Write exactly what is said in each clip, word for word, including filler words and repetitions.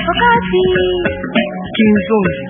Wakati Kinzonzi.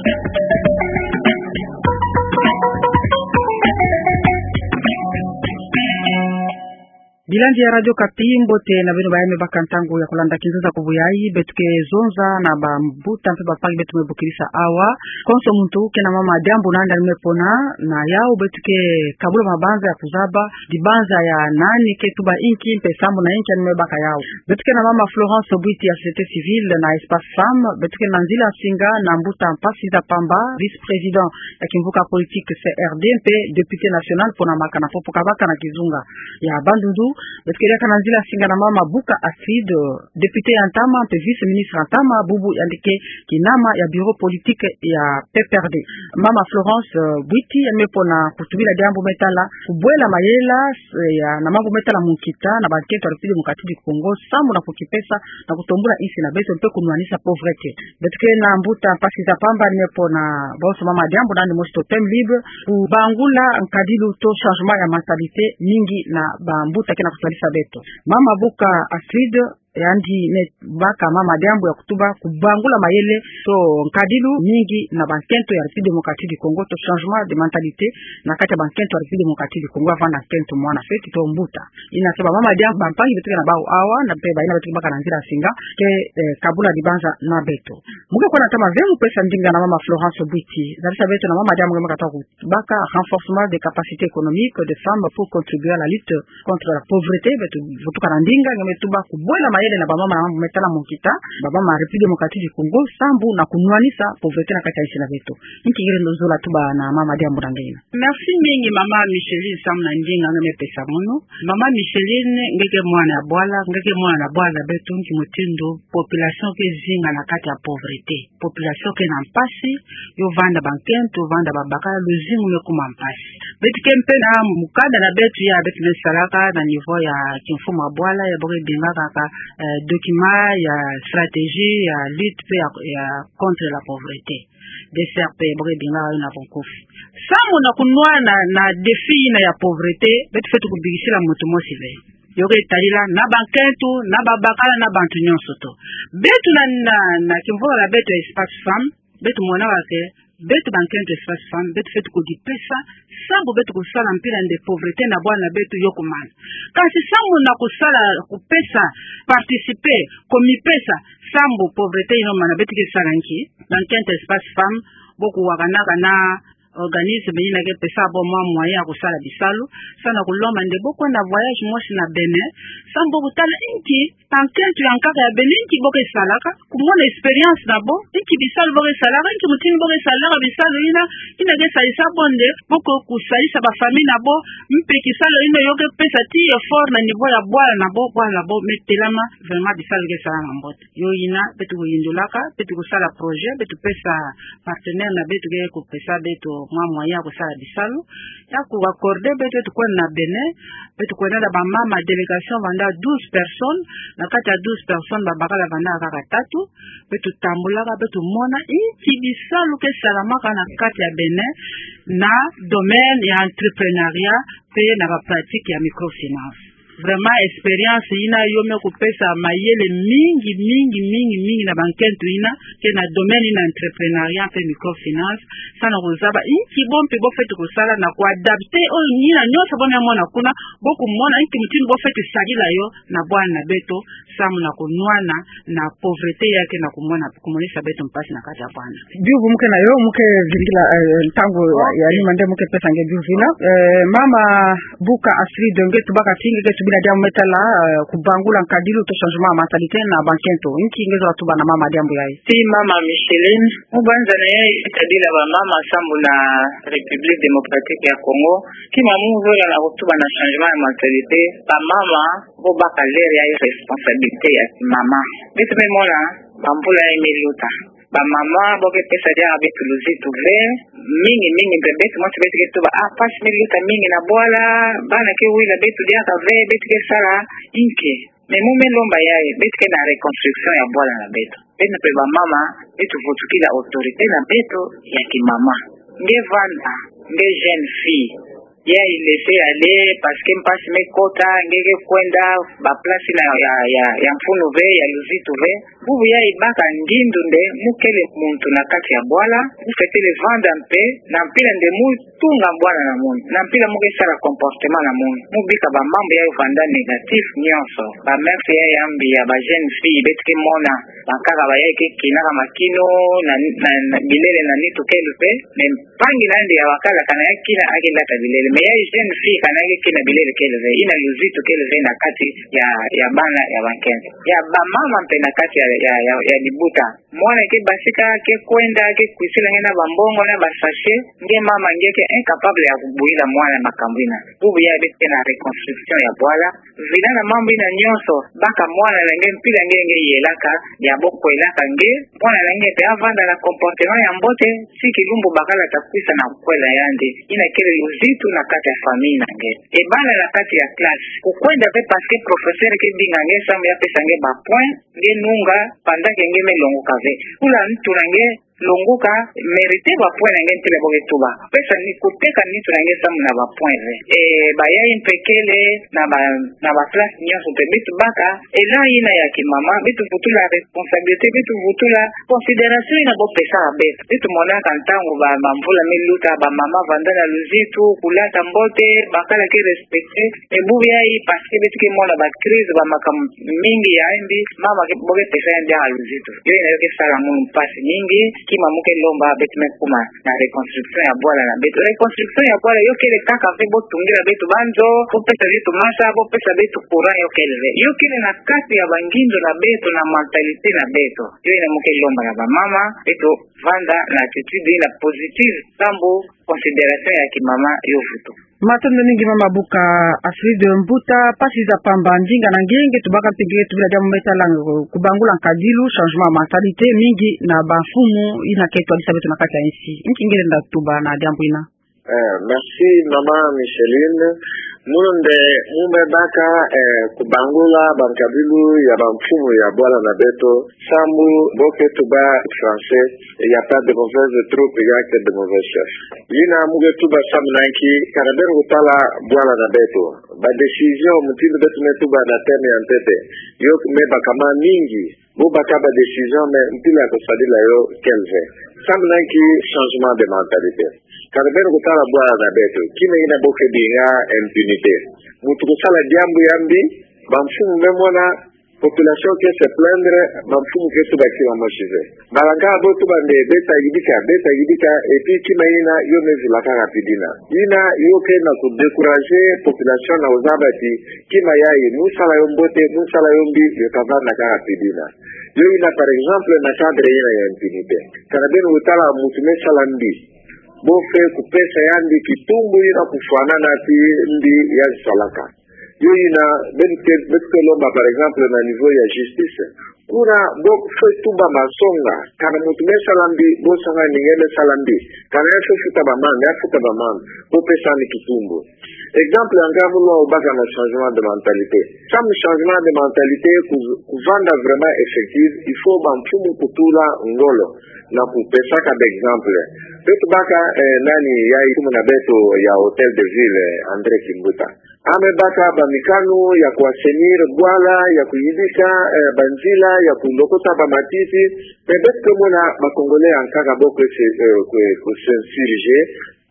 Bilandi ya Radio Okapi, mbote na beno baye me baka ntangu ya kulanda Kinzonzi ya ku buyayi. Beto ke zonza na bambuta mpe bampangi beto me bokilisa awa. Konso muntu ke na mama diambu na yandi me pona, na yawu beto ke kabula mabanza ya kuzaba dibanza ya nani ke tuba inki mpe sambu na inki yandi me baka yawu. Beto ke na mama Florence Bwiti ya Société Civile na Espace Femmes, beto ke na nzila nsinga na mbuta Mpasi Nzapamba, vice-président ya kimvuka politique C R D mpe député national pona maka na popo kabaka na kizunga ya Bandundu. Beto ke diaka na nzila nsinga na mama Buka Astrid, député ya ntama mpe vice-ministre ya ntama, bubu yandi ke kinama ya bureau politique ya P P R D. Mama Florence, eh, Bwiti, yandi me pona kutubila diambu me tala kubwela mayela, eh, ya, na mambu me tala munkita na bankento ya République Démocratique du Congo, sambu na kukipesa na kutombula insi na beto mpe kunwanisa pauvreté. Beto ke na mbuta Mpasi Nzapamba, yandi me pona bonso mama diambu na yandi mosi to thème libre: kubangula nkadilu to changement ya mentalité mingi na bambuta ke na kusalisa beto. Mama Buka Astrid, yandi me baka mama diambu ya kutuba kubangula mayele to nkadilu mingi na bankento ya République Démocratique du Congo, to changement de mentalité na kati ya bankento ya République Démocratique du Congo, ya vanda nkento mwana feti to mbuta. Ina ke bamama diambu bampangi beto ke na bawu awa, na mpe bayina beto ke baka na nzila nsinga, ke, eh, kabula dibanza na beto. Mu ke kwenda ntama ve mu pesa ndinga na mama Florence Bwiti, zabisa beto na mama diambu nge me kata ku baka renforcement des capacités économiques des femmes pour contribuer à la lutte contre la pauvreté. Beto vutuka na ndinga nge me tuba kubwela mayele na bamama na mambu me tala munkita, bamama République Démocratique du Congo, sambu na kunwanisa pauvreté na kati ya insi na beto. Inki nge lenda zola tuba na mama diambu na nge ina? Merci mingi mama Micheline, sambu na ndinga nge me pesa mono. Mama Micheline, nge ke mwana ya bwala, nge ke mwana ya bwala na beto, nki mutindu population ke zinga na kati ya pauvreté. Population ke na mpasi, yo vanda bankento, vanda babakala, luzingu me kuma mpasi. Beto ke mpe na mukanda na beto ya beto me salaka na niveau ya kimfumu ya bwala, ya bo ke bingaka ka, eh, document ya stratégie ya lutte mpe ya, ya contre la pauvreté, D C R P, ya bo ke bingaka yo na bunkufi. Sambu na kunwana na défi ina ya pauvreté, beto fweti kubikisila muntu mosi ve. Yo ke tadila na bankento, na babakala, na bantu nyonso to. Beto na, na, na kimvula na beto ya Espace Femmes, beto monaka ke beto bankento Espace Femmes, beto fweti kudipesa, sambu beto kusala mpila nde pauvreté na bwala na beto yo kumana. Kasi sambu na kusala, kupesa, participer, kumipesa, sambu pauvreté ina yo mana, beto ke sala nki? Bankento Espace Femmes, bo kuwakanaka na organisme ina ke pesa bo mwa moyen ya kusala bisalu, sambu na kulomba nde bo kwenda voyage mosi na Bénin, sambu bo kutala inki bankento ya nkaka ya Bénin, inki bo ke salaka, kumona expérience na bo, inki bisalu bo ke salaka, inki mutindu bo ke salaka bisalu ina, ina ke salisa bo nde bo ku-, kusalisa ba famille na bo, mpe kisalu ina yo ke pesa ti effort na niveau ya bwala na bo, bwala na bo me telama, vraiment bisalu ke salama mbote. Yo ina, beto kuyindulaka, beto kusala projet, beto pesa partenaire na beto ke kupesa beto mwa moyen ya kusala bisalu, ya ku accorder beto, beto kwenda na Bénin, beto kwenda na bamama délégation vanda douze personnes, na kati ya douze personnes babakala vanda kaka tatu, beto tambulaka, beto mona inki bisalu ke salamaka na kati ya Bénin na domaine ya entrepreneuriat mpe na ba pratique ya microfinance. Vraiment, expérience ina yo me kupesa mayele mingi, mingi, mingi, mingi na bankento ina ke na domaine ina entrepreneuriat mpe microfinance, sambu na kuzaba inki bo mpe bo fweti kusala na kuadapter oyo ina nyonso bo me mona kuna, bo kumona inki mutindu bo fweti sadila yo na bwala na beto, sambu na kunwana na pauvreté ya ke na kumona, kumonisa beto mpasi na kati ya bwala. Biyuvu mu ke na yo, mu ke vingila, eh, ntangu ya, ya nima nde mu ke pesa nge biyuvu ina. Eh, mama Buka Astrid, nge tubaka ti nge ke tubila diambu me tala, eh, kubangula nkadilu to changement ya mentalité na bankento. Inki nge zola tuba na mama diambu yayi? Si mama Micheline, mu banza na yayi, tadila bamama sambu na République Démocratique ya Congo, ki mama mu zola na kutuba na changement ya mentalité, bamama bo baka leur ya responsabilité ya kimama. Beto me mona bambula ya me luta, bamama bo ke pesa diaka beto luzitu ve, mingi, mingi mpe beto mosi beto ke tuba, ah, mpasi me luta mingi na bwala, bana ke wila beto diaka ve, beto ke sala inki? Mais mu me lomba yayi, beto ke na reconstruction ya bwala na beto. Beto mpe bamama, beto vutukila autorité na beto ya kimama. Nge vanda, nge jeune fille, Ya i laisser aller, parce que mpasi me kota, nge ke kwenda ba place na ya, ya, ya mfunu ve, ya luzitu ve. Bubu ya i baka ngindu nde mu kele muntu na kati ya bwala, mu fetele vanda mpe, na mpila nde mu tunga bwala na munu, na mpila mu ke sala comportement na munu, mu bika ba mambu ya i vanda négatif nyonso. Ba mère ya yambi ya ba jeune fille, beto ke mona, bankaka ba ya ke kinaka makino, na, na, na bilele na nitu kele ve, mais mpangi na yandi ya bakala kana ya kina, a ke lata bilele. Mais ya i jeune fille kana ya ke kina bilele kele ve, ina luzitu kele ve na kati ya, ya bana ya bankento. Ya ba mama mpe na kati ya, ya, ya, ya libuta. Mwana ke basika, ke kwenda, ke kwisila nge na ba mbongo na ba sachet, nge mama nge ke incapable ya kubwila mwana makambu ina. Bubu ya beto ke na reconstruction ya bwala. Vila na mambu ina nyonso, baka mwana na nge mpila nge, nge yelaka, ya bo kwelaka nge, mwana na nge mpe a vanda na comportement ya mbote, tii kilumbu bakala ta kwisa na kwela yandi. Ina kele luzitu na kati ya famille na nge. E bala na kati ya classe, kukwenda ve parce que professeur ke binga nge samu ya pesa nge ba point, nge nunga, pendant que nge me longoka ve. Kula nitu na nge, longoka, mériter ba point na nge ntele bo ke tuba. Pesa ni kuteka nitu na nge samu na ba point ve. E, ba ya i mpe kele, na ba, na ba classe nyonso mpe beto baka, ela ina ya kimama, beto vutula responsabilité, beto vutula considération ina bo pesa beto. Beto monaka ntangu ba, ba mvula me luta, ba mama vanda na luzitu, kulata mbote, bakala ke respecter. E bubu ya i parce que beto ke mona ba crise, ba makambu mingi ya yambi, mama ke, bo ke pesa yandi ha luzitu. Yo ina yo ke sala munu mpasi mingi, kima mu ke lomba beto me kuma na reconstruction ya bwala na beto. Reconstruction ya bwala yo kele kaka ve bo tungila beto ba nzo, bo pesa beto masa, bo pesa beto courant, yo kele ve. Yo kele na kati ya ba ngindu na beto, na mentalité na beto. Yo ina mu ke lomba na ba mama, beto vanda na attitude ina positive, samu considération ya kimama yo vutuka. Matondo mingi mama Buka Astrid Mbuta, mpasi za pamba, ndinga na ngenge tubaka mpe nge tubila diambu me sala kubangula nkadilu, changement ya mentalité mingi na ba mfumu ina ke twadisa beto na kati ya insi. Nki nge lenda tuba na diambu ina? Eh, merci mama Micheline. Munu nde mu me baka, eh, kubangula ba nkadilu ya ba mfumu ya bwala na beto, samu bo ke tuba français, il y a pas de mauvaises troupes, il y a que de mauvais chefs. Ina mu ke tuba samu na nki, kana beno kutala bwala na beto. Ba décision, mutindu beto me tuba na thème ya ntete, yo me baka ma mingi, bo baka ba décision mais mpila kusadila yo kele ve. Samu na nki? Changement de mentalité. Kana beno kutala bwala na beto, kima ina bo ke binga impunité. Muntu kusala diambu ya mbi, ba mfumu me mona, population ke se plaindre, ba mfumu ke tuba kima mosi ve. Balanga bo tuba nde beta yidika, beta yidika, et puis kima ina yo me zula kaka pidina. Ina yo ke na ku décourager population na kuzaba ti kima ya i, mu sala yo mbote, mu sala yo mbi, yo ka vanda kaka pidina. Yo ina, par exemple, na cadre ina ya impunité, kana beno kutala muntu me sala mbi, bo fwe kupesa yandi kitumbu ina kufwanana ti mbi ya salaka. Yo ina, beto ke, beto ke lomba, par exemple, na niveau ya justice. Kuna bo fwe tuba masonga, kana muntu me sala mbi, bo sanga ni nge me sala mbi. Kana ya fwe futa ba amende, ya futa ba amende, bo pesa ni kitumbu. Exemple ya nga mu lomba kana changement de mentalité. Samu changement de mentalité ku, kuvanda vraiment effectif, il faut ba mfumu kutula ngolo na kupesaka ba exemple. Beto baka, eh, nani ya i mfumu na beto ya Hôtel de Ville, eh, André Kimbuta. A me baka ba mikanu ya ku assainir bwala, ya kuyidika, eh, ba nzila, ya kulokota ba matiti. Mais beto ke mona ba Congolais ya nkaka bo ke se, eh, ke, ke s'insurger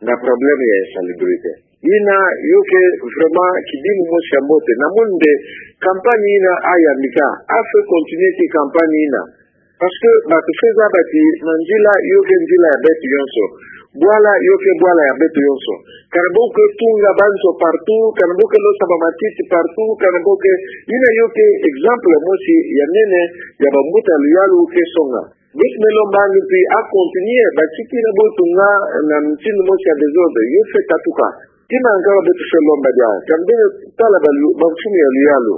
na problème ya insalubrité. Ina yo ke vraiment kidimu mosi ya mbote. Na munu nde campagne ina a yambika, a fwe continuer ti campagne ina. Parce que ba ke fwe zaba ti na nzila yo ke nzila ya beto yonso. Bwala yo ke bwala ya beto yonso. Kana bo ke tunga ba nzo partout, kana bo ke losa ba matiti partout, kana bo ke, ina yo ke exemple mosi ya nene ya ba mbuta luyalu ke songa. Beto me lomba ni mpi a continuer, ba tiki na bo tunga na mutindu mosi ya désordre, yo fwe tatuka. Kima nga beto fwe lomba dia, kana beno tala ba lu-, ba mfumu ya luyalu.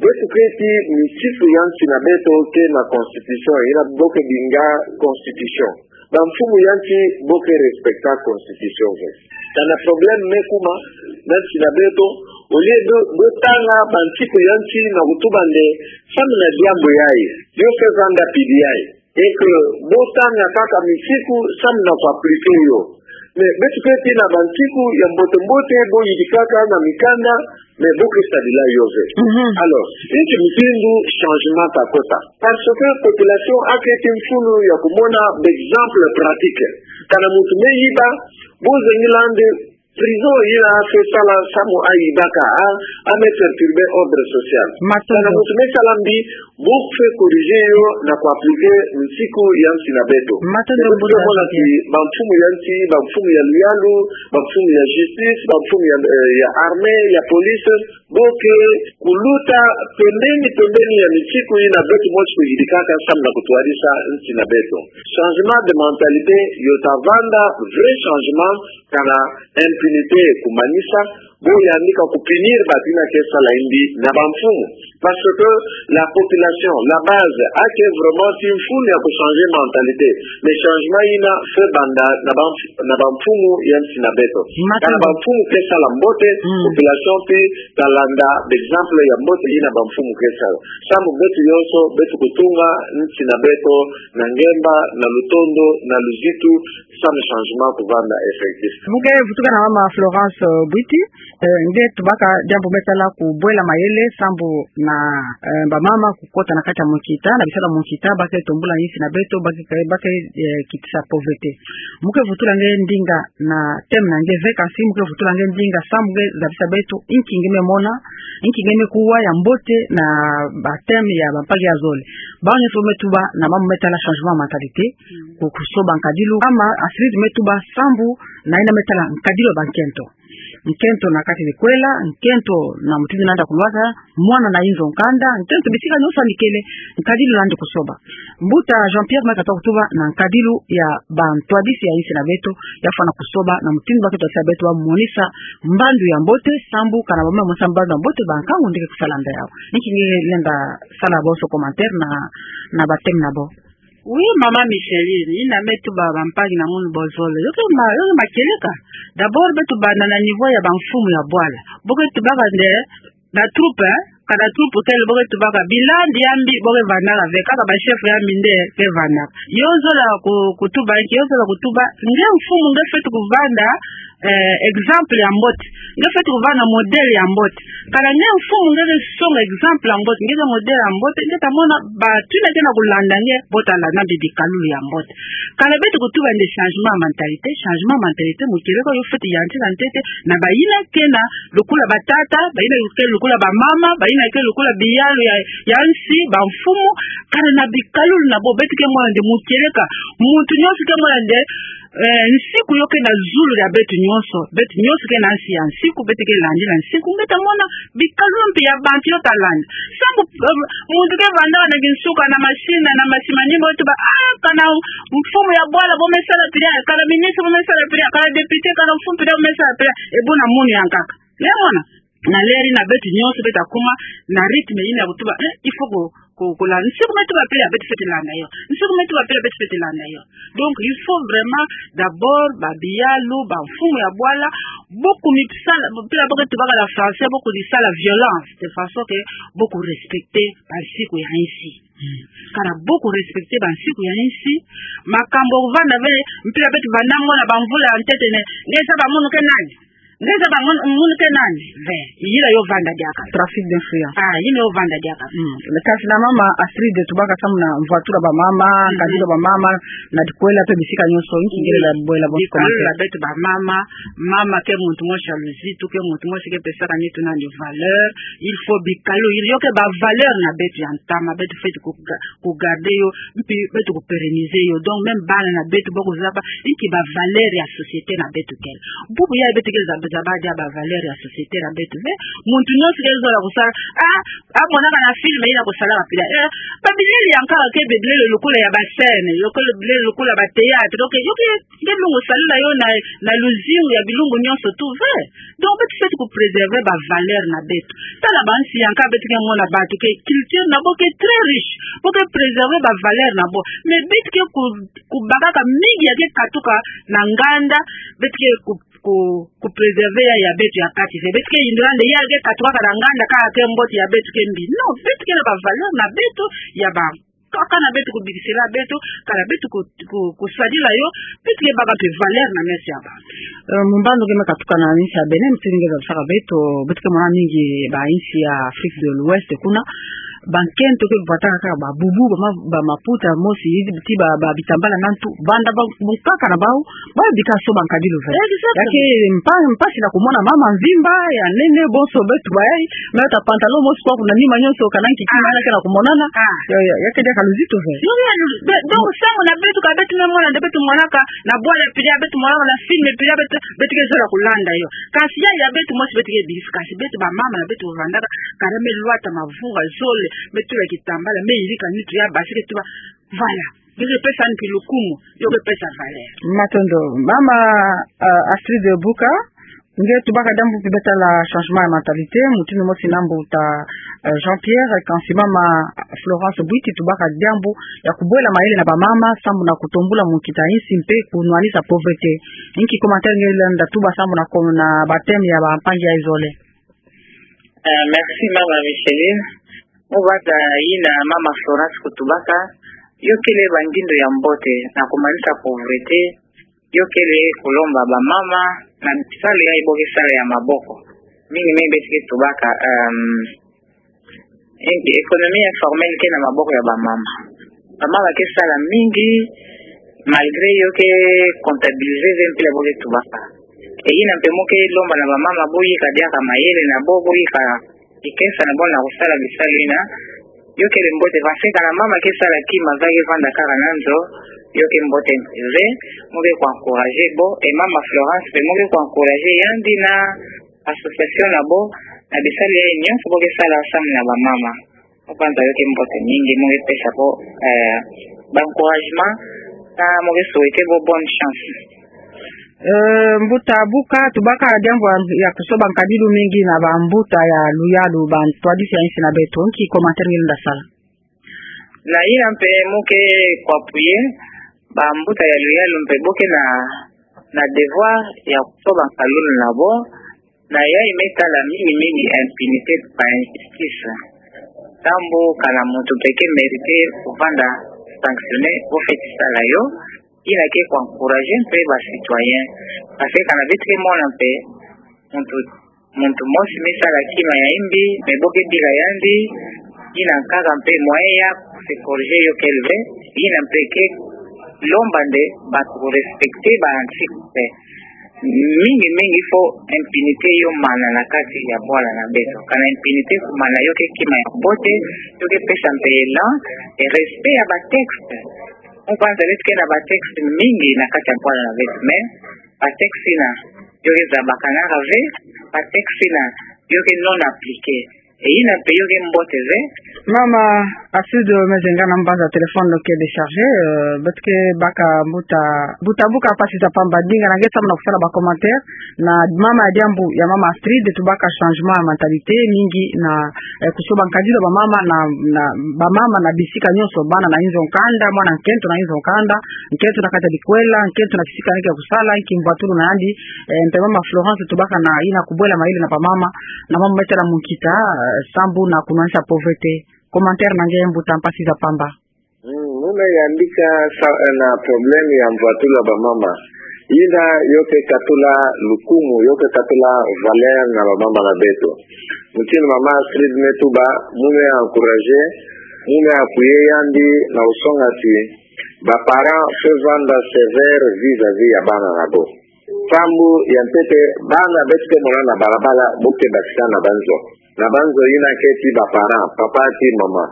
Beto ke ti misiku ya nsi na beto ke na constitution, ina bo ke binga constitution. Ba mfumu ya nsi bo ke respecter constitution ve. Kana problème me kuma na nsi na beto, au lieu bo, bo tanga ba nsiku ya nsi na kutuba nde samu na diambu ya i, yo fwe vanda pidi ya i. Et que bo tanga kaka misiku samu na ku appliquer yo. Mais beto ke tina bansiku ya mbote-mbote bo yidikaka na mikanda, mais bo ke sadila yo ve. Mhm. Alors, nki mutindu changement ka kota? Parce que population a keti mfunu ya kumona b'exemple pratique. Kana muntu me yiba, bo zengila'andi prison yina a ke sala samu a yibaka, a, a me perturber ordre social. Matondo. Kana muntu me sala mbi, bo fwe corriger yo na ku appliquer nsiku ya nsi na beto. Matondo. Beto mbuta mona Jean-Pierre. Ti bamfumu ya nsi, bamfumu ya luyalu, bamfumu ya justice, bamfumu ya, eh, ya armée, ya police, bo ke kuluta pembeni, pembeni ya nsiku yina beto mosi kuyidikaka samu na kutwadisa nsi na beto. Changement de mentalité, yo ta vanda vrai changement, kana impunité kumanisa, bo yandi ka ku punir bato yina ke sala mbi na bamfumu. Parce que la population, la base, a ke vraiment ti mfunu ya ku changer mentalité. Mais changement yina fwe banda na bamf-, na bamfumu ya nsi na beto. Matondo. Kana bamfumu ke sala mbote, mm, population pi ta landa d'exemple ya mbote yina bamfumu ke sala. Samu beto yonso, beto kutunga nsi na beto na ngemba, na lutondo, na luzitu, samu changement kuvanda effectif. Mbo ke vutuka na mama Florence, euh, Bwiti, eh, nge tubaka diambu me tala kubwela mayele sambu na, eh, bamama kukota na kati ya munkita, na bisalu ya munkita, ba ke tombula nsi na beto, ba ke, ba ke, eh, kitisa pauvreté. Mbo ke vutula nge ndinga na thème na nge ve, kansi mbo ke vutula nge ndinga sambu nge zabisa beto, nki nge me mona, nki nge me kuwa ya mbote na ba thème ya bampagi ya zole. Bawu nyonso me tuba na mambu me tala changement mentalité, ku-, kusoba nkadilu. Mama Astrid me tuba sambu na yina me tala nkadilu ya bankento. Nkento na kati dikwela, nkento na mutindu nanda kulwaka, mwana na inzo nkanda, nkento bisika nyonso yandi kele, nkadilu nandi kusoba. Mbuta Jean-Pierre me katuka kutuba na nkadilu ya bantwadisi ya nsi na beto, ya fwana kusoba na mutindu ba ke twadisa beto, ba monisa mbandu ya mbote, sambu kana ba me monisa mbandu ya mbote, bankangu nde ke kusala nda yawu. Nki nge lenda sala bonso commentaire na, na ba thème na bo. Oui, mama Micheline, yina me tuba bampagi na munu bozole. Yo ke ma, yo ke makieleka. D'abord, beto banda na niveau ya bamfumu ya bwala. Bo ke tubaka nde, na troupe, eh? Kana troupe kele bo ke tubaka, bila ndi ya mbi bo ke vandaka ve, kaka ba chef ya mbi nde ke vandaka. Yo zola ku-, kutuba, nki yo zola kutuba, nge mfumu nge fweti kuvanda, eh, exemple ya mbote. Nge fweti kuvanda modèle ya mbote. Kana nge mfumu nge ke songa exemple ya mbote, nge ke modèle ya mbote, nge ta mona bato yina ke na kulanda nge, bo ta landa mbi bikalulu ya mbote. Kana beto kutuba nde changement ya mentalité, changement ya mentalité, mukieleka yo fweti yantika ntete na bayina ke na lukula batata, bayina ke lukula bamama, bayina ke lukula biyalu ya, ya nsi, bamfumu, kana na bikalulu na bo, beto ke mona nde mukieleka, muntu nyonso ke mona nde, eh, nsiku yo ke na zulu ya beto nyonso, beto nyonso ke na nsi ya nsiku, beto ke landi na nsiku, nge ta mona bikalulu mpe ya bantu yo ta landa. Sambu, eh, muntu ke vandaka na kinsuka, na machine, na machine, ni bo tuba, ah, kana mfumu ya bwala bo me sala pila, kana ministre bo me sala pila, kana député, kana mfumu pila bo me sala pila, e buna munu ya nkaka. Nge mona? Na leri na beto nyonso beto ta kuma na rythme yina ya kutuba, eh, il faut ku-, ku-, kulanda. Nsiku me tuba pila beto fweti landa yo. Nsiku me tuba pila beto fweti landa yo. Donc, il faut vraiment d'abord, ba biyalu, bamfumu ya bwala, bo kumi sala, pila bo ke tubaka na français, bo kuni sala violence, de façon que bo ku respecter bansiku ya nsi. Kana bo ku respecter bansiku ya nsi, makambu kuvanda ve, mpila beto vanda mo na bamvula ya ntetene, nge zaba munu ke nani? Nge zaba munu, munu ke nani? Ve, yila yo vanda diaka. Trafic d'influence. Ah, yila yo vanda diaka. Mm. Kasi na mama Astrid tubaka samu na mvwatula bamama, mm, nkadilu ya bamama, na dikwela mpe bisika nyonso, nki nge lenda bwela bonso commentaire. Bikalulu ya beto bamama, mama ke muntu mosi ya luzitu, ke muntu mosi ke pesaka nitu nandi valeur, il faut bikalulu, yo ke ba valeur na beto ya ntama, beto fweti ku ga-, ku garder yo, mpi beto ku pérenniser yo. Donc, même bana na beto bo kuzaba, nki ba valeur ya société na beto kele. Bubu ya beto ke zaba, zaba dia ba valeur ya société na beto. Mais, muntu nyonso ke zola kusala, ah, ah, monaka na film yina kusalaka pila. Eh, ba bilele ya nkaka ke bilele lokola ya ba scène, lokola bilele lokola ba théâtre. Donc, yo ke, nge lungu salila yo na, na luzingu ya bilumbu nyonso tu ve. Donc, beto fweti ku préserver ba valeur na beto. Tala bansi ya nkaka beto ke mona bato ke culture na bo ke très riche. Bo ke préserver ba valeur na bo. Mais beto ke ku, kubakaka mingi ya ke katuka na nganda, beto ke ku, ku, ku préserver ya, ya beto ya kati ve. Beto ke yindula nde ya ke katukaka na nganda kaka ke mbote, ya beto ke mbi. Non, beto ke na ba valeur na beto ya ba kaka na beto, kubikisila beto, kana beto ku, ku, kusadila yo, beto ke baka mpe valeur na meso ya ba. Eh, mumbandu ke me katuka na nsi ya Bénin, mutini nge zabisaka beto, beto ke mona mingi ba nsi ya Afrique de l'Ouest kuna, bankento ke vwataka kaka ba bubu, ba ma, ba maputa mosi, ti ba, ba bitambala na ntu, banda ba, bunkaka na bau, ba bika so bankadilu ve. Exactly. Ya ke mpa, mpasi na kumona mama mvimba, ya nene, bonso beto bayai, me ta pantalon mosi kwa kuna nima nyonso, kana nkiki, ah, mana ke na kumonana. Ah. Ya, ya, ya ke diaka luzitu ve. Yo, ya, lu-, be-, donc, nsangu na beto ka beto me mona, nde beto monaka, na bwala pila, beto monaka, na film pila, beto, beto ke zola kulanda yo. Kasi ya, ya beto mosi beto ke bisi, kasi beto bamama na beto vandaka, kana me lwata mavungu zole, me tula kitambala, me yirika nitu ya basi ke tuba, voilà. Yo ke pesa ni kilukumu, yo ke pesa valeur. Matondo. Mama, euh, Astrid Buka, nge tubaka diambu mpe beta la changement ya mentalité, mutinu mosi na mbuta, euh, Jean-Pierre, kansi mama Florence Bwiti tubaka diambu ya kubwela mayele na bamama, sambu na kutombula munkita nsi mpe kunwanisa pauvreté. Inki commentaire nge lenda tuba sambu na ko-, na ba thème ya bampangi ya zole? Euh, merci, mama Micheline. Mu bata yina mama Florence kutubaka, yo kele bangindo ya mbote na kumanisa pauvreté, yo kele kulomba bamama na bisalu yayi bo ke sala ya maboko. Mingi mingi beto ke tubaka, euh, et puis économie informelle ke na maboko ya bamama. Bamama ke sala mingi, malgré yo ke comptabiliser ve mpila bo ke tubaka. Et yina mpe mu ke lomba na bamama bo yika diaka mayele na bo, bo yika kikesa na bo na kusala bisalu yina. Yo kele mbote, parce que kana mama ke sala kima, va ke vanda kaka na nzo, yo ke mbote ve, mu ke ku encourager bo, et mama Florence mpe mu ke ku encourager yandi na association na bo, na bisalu yayi nyonso bo ke sala ensemble na bamama. Mu kwanza yo ke mbote mingi, mu ke pesa bo, euh, ba encouragement, na mu ke souhaiter bo bonne chance. Euh, mbuta Buka, tubaka diambu ya kusoba nkadilu mingi na bambuta ya luyalu, bantwadisi ya nsi na beto. Nki commentaire nge lenda sala? Na yina mpe mu ke ku appuyer bambuta ya luyalu mpe bo ke na, na devoir ya kusoba nkalulu na bo, na yayi me tala mingi mingi impunité, ba injustice. Sambu kana muntu mpe ke mériter kuvanda sanctionné, bo fweti sala yo, yina ke ku encourager mpe ba citoyens. Parce que kana beto ke mona mpe muntu, muntu mosi me sala kima ya imbi, mais bo ke bika yandi, yina nkaka mpe moyen ya ku se corriger yo kele ve, yina mpe ke lomba nde ba ku respecter ba anti mpe. Mingi mingi faut impunité yo mana na kati ya bwala na beto. Kana impunité kumana, yo ke kima ya mbote, yo ke pesa mpe élan, et respect ya ba texte. Mu kwanza beto ke na ba texte mingi na kati ya bwala na beto, mais ba texte yina yo ke zabakanaka ve, ba texte yina yo ke non appliqué. Et yina mpe yo ke mbote ve. Mama Astrid, me zenga na mbanza téléphone lo ke déchargé, euh, beto ke baka mbuta, mbuta Buka mpasi za pamba, dinga na nge sambu na kusala ba commentaire na mama ya diambu ya mama Astrid, tubaka changement ya mentalité mingi na, eh, kusoba nkadilu ya bamama na, na bamama na bisika nyonso, bana na inzo nkanda, mwana nkento na inzo nkanda, nkento na kati ya bikwela, nkento na kisika neke kusala, nki mvwatulu na yandi, eh, mpe mama Florence tubaka na yina kubwela mayele na bamama, na mama me tala munkita, eh, sambu na kunwanisa pauvreté. Commentaire na nge mbuta mpasi za pamba. Mm, mu me yambika sa, eh, na problème ya mvwatulu ya bamama. Yina yo ke katula lukumu, yo ke katula valeur na bamama na beto. Mutinu mama Astrid me tuba, mu me encourager, mu me appuyer yandi na kusonga ti ba parents fweti vanda sévère vis-à-vis ya bana na bo. Sambu ya ntete, bana beto ke mona na balabala, bo ke bakisa na banzo. Na banzo yina ke ti ba parents, papa ti mama.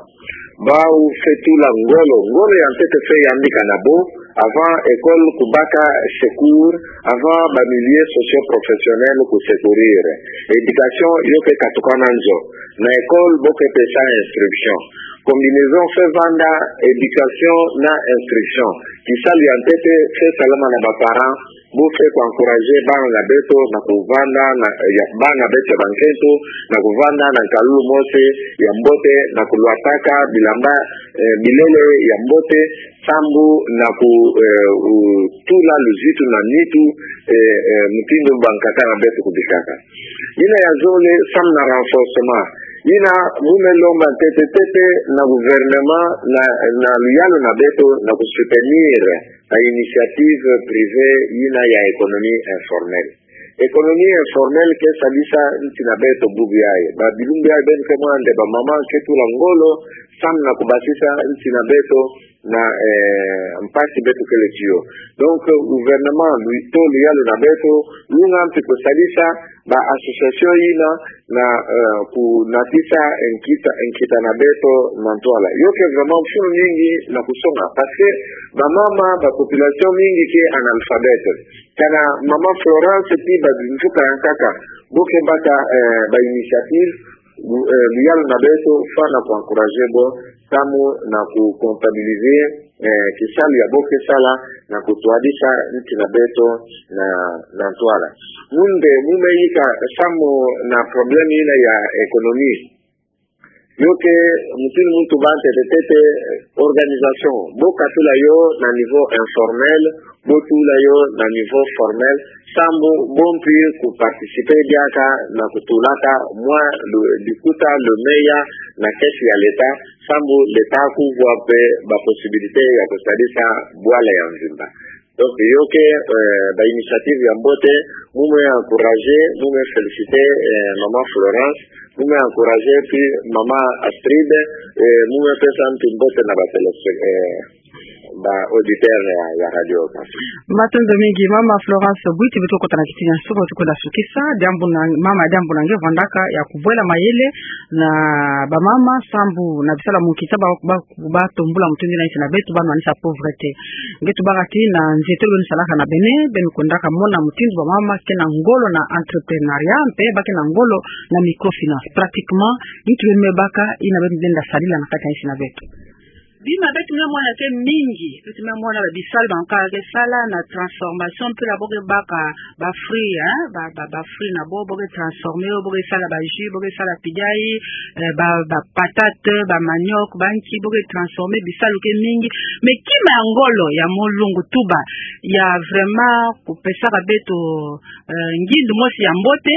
Bau fweti tula ngolo, ngolo ya ntete fweti yambika na bo, avant école kubaka secours, avant ba milieux socio-professionnels ku secourir. Éducation yo ke katuka na nzo. Na école bo ke pesa instruction. Combinaison fweti vanda éducation na instruction. Kisalu ya ntete fweti salama na ba parents, bo fweti ku encourager bana na beto na kuvanda na, ya, bana beto ya bankento na kuvanda na nkalulu mosi ya mbote, na kulwataka bilamba, eh, bilele ya mbote, sambu na ku, eh, u, tula luzitu na nitu, eh, eh, mutindu bankaka na beto kubikaka. Yina ya zole, samu na renforcement Yina, mu me lomba ntete ntete na gouvernement na, na luyalu na beto na ku soutenir ba initiative privée yina ya économie informelle. Économie informelle ke sadisa nti na beto bubu yayi. Ba bilumbu yayi beno ke mona nde ba mama ke tula ngolo, samu na ku basisa nti na beto na, eh, mpasi beto kele tiyo. Donc, gouvernement, lu-, to luyalu na beto, lunga mpi ku sadisa ba association yina na, eh, ku natisa nkita, nkita na beto na ntwala. Yo ke vraiment mfunu mingi na ku songa, parce que ba mama, ba population mingi ke analphabète. Kana mama Florence ti ba mvuka ya nkaka, bo ke baka, eh, ba initiative, lu-, eh, luyalu na beto, fwana ku encourager bo, samu na ku comptabiliser, eh, kisalu ya bo ke sala, na ku twadisa nti na beto na, na ntwala. Mu nde, mu me yika samu na problème yina ya économie. Yo ke mutindu mu tuba ntete ntete, eh, organisation. Bo katula yo na niveau informel, bo tula yo na niveau formel, samu bo mpi ku participer diaka na ku tulaka mwa lu-, likuta lumeya na caisse ya l'État, samu l'État ku vwa mpe ba possibilité ya ku sadisa bwala ya mvimba. Donc, yo ke, eh, ba initiative ya mbote, mu me encourager, mu me féliciter, eh, mama Florence, mu me encourager mpi mama Astrid, eh, mu me pesa mpi mbote na ba télé-, eh, ba auditeur ya, ya radio. Matondo mingi, mama Florence Buiti, beto kota na kiti nyansoko, tukwenda sukisa, diambu na, mama, diambu na nge vandaka ya kubwela mayele na ba mama, samu na bisalu ya munkita ba, ba ba tombula mutindu yina nti na beto, ba nwanisa pauvreté. Nge tubaka ti na nzietolo beno salaka na Bénin, beno kwendaka mona mutindu ba mama ke na ngolo na entrepreneuriat, mpe ba ke na ngolo na microfinance. Pratiquement, nki beno me baka yina beno lenda sadila na kati ya nti na beto? Bima beto me mona ke mingi, beto me mona ba bisalu bankaka ke sala na transformation, mpila bo ke baka ba fruits, hein, ba, ba, ba fruits na bo, bo ke transformer yo, bo ke sala ba jus, bo ke sala pidiai, eh, ba, ba patate, ba manioc, ba nki, bo ke transformer, bisalu ke mingi. Mais kima ya ngolo ya mo lungu tuba, ya vraiment kupesaka beto, eh, ngindu mosi ya mbote.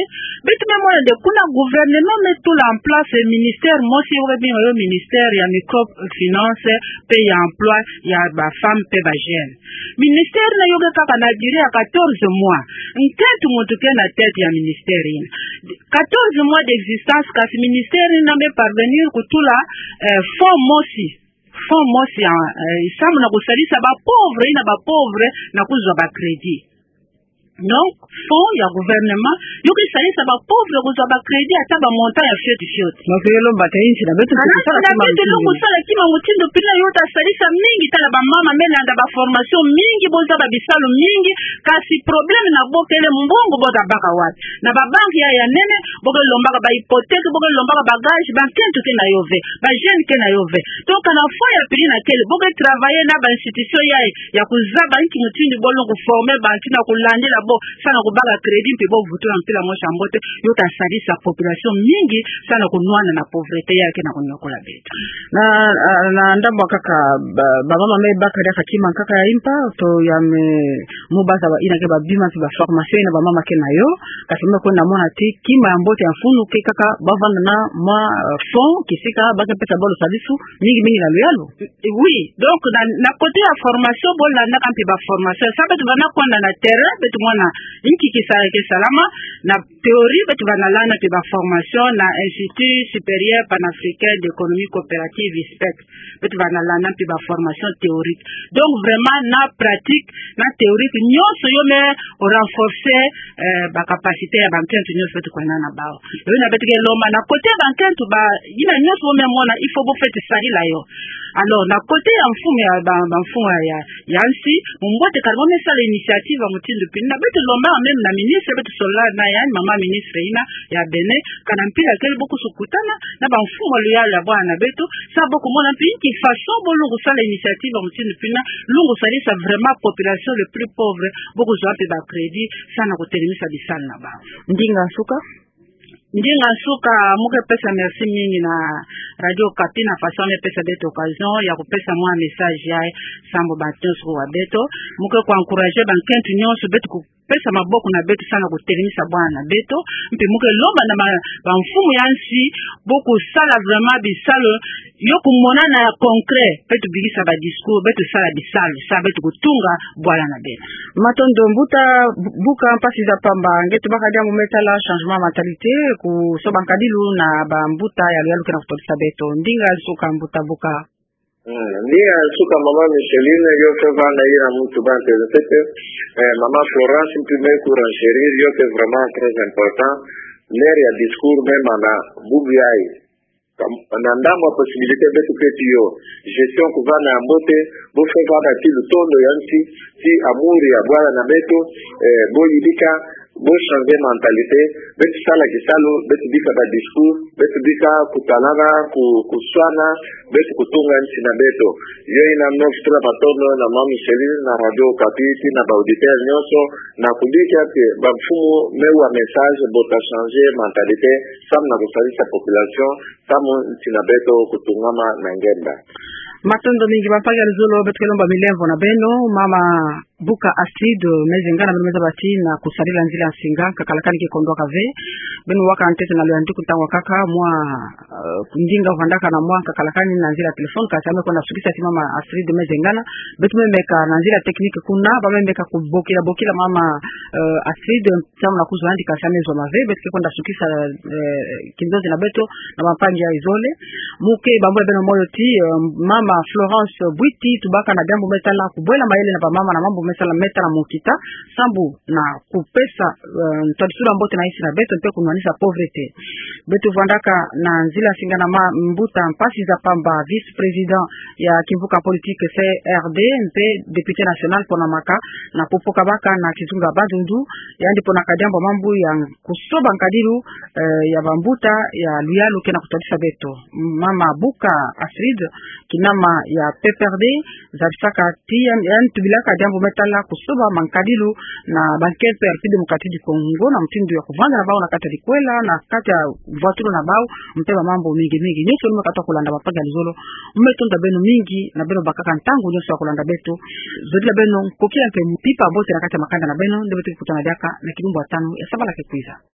Beto me mona nde kuna gouvernement me tula en place ministère mosi, bo ke benga yo ministère ya microfinance, mpe ya emploi ya ba femmes mpe ba jeunes. Ministère yina yo ke kaka na durée ya quatorze mois. Nkento muntu ke na tête ya ministère yina. Quatorze mois d'existence, kasi ministère yina me parvenir kutula, eh, fonds mosi. Fonds mosi ya, eh, samu na kusalisa ba pauvres, yina ba pauvres na kuzwa ba crédits. Donc, fonds ya gouvernement, yo ke salisa ba pauvres kuzwa ba crédits ata ba montants ya fioti fioti. Mafelo mbata nti na beto. Kana nti na beto, lungu sala kima mutindu pila yo ta salisa mingi, tala ba mama me landa ba formation mingi, bo zaba bisalu mingi, kasi problème na bo kele mbongo bo ta baka wapi? Na ba banque ya, ya nene, bo ke lombaka ba hypothèque, bo ke lombaka ba gage, ba nkento ke na yo ve, ba jeunes ke na yo ve. Donc, kana fonds ya pili na kele, bo ke travailler na ba institution ya, ya kuzaba nki mutindu bo lenda kuformer bantu na kulandila bo, samu na kubaka crédit, mpi bo vutula mpila mosi ya mbote, yo ta salisa population mingi, samu na kunwana na pauvreté ya ke na kunyokola beto. Na, na, na ndambu kaka, ba, ba mama me baka diaka kima nkaka ya impa, to ya me, mu baza ba yina ke ba bima mpi ba formation yina ba mama ke na yo, kasi me kwenda mona ti kima ya mbote ya mfunu ke kaka ba vanda na mwa, eh, fonds, kisika ba ke pesa bo lusadisu mingi mingi na luyalu. Oui, donc na, na côté ya formation, bo landaka mpi ba formation. Samu beto vanda kwenda na terrain, beto mona nki ki sa-, ki salama, na théorie, beto vanda landa mpi ba formation na Institut Supérieur Panafricain d'Économie Coopérative, ISPEC. Beto vanda landa mpi ba formation théorique. Donc vraiment, na pratique, na théorique, nyonso yo me renforcer, eh, ba capacité ya ba nkento nyonso beto kwenda na bawu. Yo yina beto ke lomba na côté ba nkento ba, yina nyonso bo me mona, il faut bo fweti salila yo. Alors, na côté ya mfumu ya, ba, ba mfumu ya, ya, ya nsi, mumbote kala bo me sala initiative ya mutindu pila yina, beto lomba même na ministre, beto solola na yandi, mama ministre yina ya Bénin, kana mpila kele bo kusu kutana na ba mfumu ya luyalu ya bwana beto, samu bo kumona mpi nki façon bo lenda kusala initiative ya mutindu pila yina, lenda kusalisa vraiment population le plus pauvre, bo kuzwa mpi ba crédit, samu na kutelemisa bisalu na bawu. Ndinga nsuka. Ndinga nsuka, mu ke pesa merci mingi na Radio Okapi na façon mi pesa beto occasion ya kupesa mwa message yayi sambu bantu nyonso kuwa beto. Mu ke ku encourager bankento nyonso beto kupesa maboko na beto samu na kutelemisa bwana na beto. Mpe mu ke lomba na ba, bamfumu ya nsi bo kusala vraiment bisalu yo kumonana ya concret, beto bikisa ba discours, beto sala bisalu, samu beto kutunga bwala na beto. Matondo mbuta Bu-, Buka, mpasi za pamba, nge tubaka diambu me tala changement mentalité, kusoba nkadilu na bambuta ya luyalu ke na kutodisa beto. Ndinga nsuka mbuta Buka. Hmm, ndinga nsuka mama Micheline, yo faites-moi na yina muntu ba ntele nsete, eh, mama Florence, mpi me ku renchérir, yo ke vraiment très important, l'heure ya discours me mana bubu yayi. Kam-, na ndambu ya possibilité beto keti yo. Gestion kuvana ya mbote, bo faites-moi na ti lutondo ya nsi, ti amour ya bwala na beto, eh, bo yidika, bo changer mentalité, beto sala kisalu, beto bika ba discours, beto bika kutalana, ku-, kuswana, beto kutunga nsi na beto. Yo ina me fitula matondo na mama Micheline, na Radio Okapi, ti na ba auditeurs nyonso, na kubika ti bamfumu me wa message, bo ta changer mentalité, samu na kusalisa population, samu nsi na beto kutungama na ngemba. Matondo mingi, bampangi ya luzolo, beto ke lomba milemvo na beno, mama Buka Astrid Mezengana, beno me zaba ti na kusadila nzila nsinga, nkakalakani ke kondwaka ve, beno waka ntete na luyandiku ntangu wakaka, mwa, eh, ndinga vandaka na mwa nkakalakani na nzila téléphone, kasi ame kwenda sukisa ti mama Astrid Mezengana, beto me meka na nzila technique kuna, ba me meka kubokila, bokila mama, eh, Astrid, samu na kuzwa yandi kasi ame zwa ma ve, beto ke kwenda sukisa, eh, kinzonzi na beto, na bampangi ya izole. Mu ke bambula beno moyo ti, eh, mama Florence Bwiti, tubaka na diambu me tala kubwela mayele na bamama na mambu me tala, me tala mu kita, sambu na kupesa, eh, ntwadisulu ya mbote na nsi na beto, mpe kunwanisa pauvreté. Beto vandaka na nzila nsinga na ma-, mbuta Mpasi za Pamba, vice-président ya kimvuka politique C R D, mpe député national pona maka, na kupoka baka na kizunga Bandundu, yandi ponaka diambu mambu ya kusoba nkadilu, eh, ya bambuta ya luyalu ke na kutadisa beto. Mama Buka Astrid, kinama ya P P R D, zabisaka ti yandi, yandi tubilaka diambu me tala kusoba mankadilu na ba N K P R, Parti Démocratique du Congo, na mutindu ya kuvanda na bau na kati ya likwela, na kati ya mvwatulu na bau, mpe ba mambu mingi mingi. Nyonso nu me katuka kulanda, bampangi ya luzolo, me tonda beno mingi, na beno bakaka ntangu nyonso ya kulanda beto. Zodila beno nkokila mpe mpimpa mbote na kati ya makanda na beno, nde beto ke kutana diaka na kilumbu ya tanu ya sabala ke kwiza.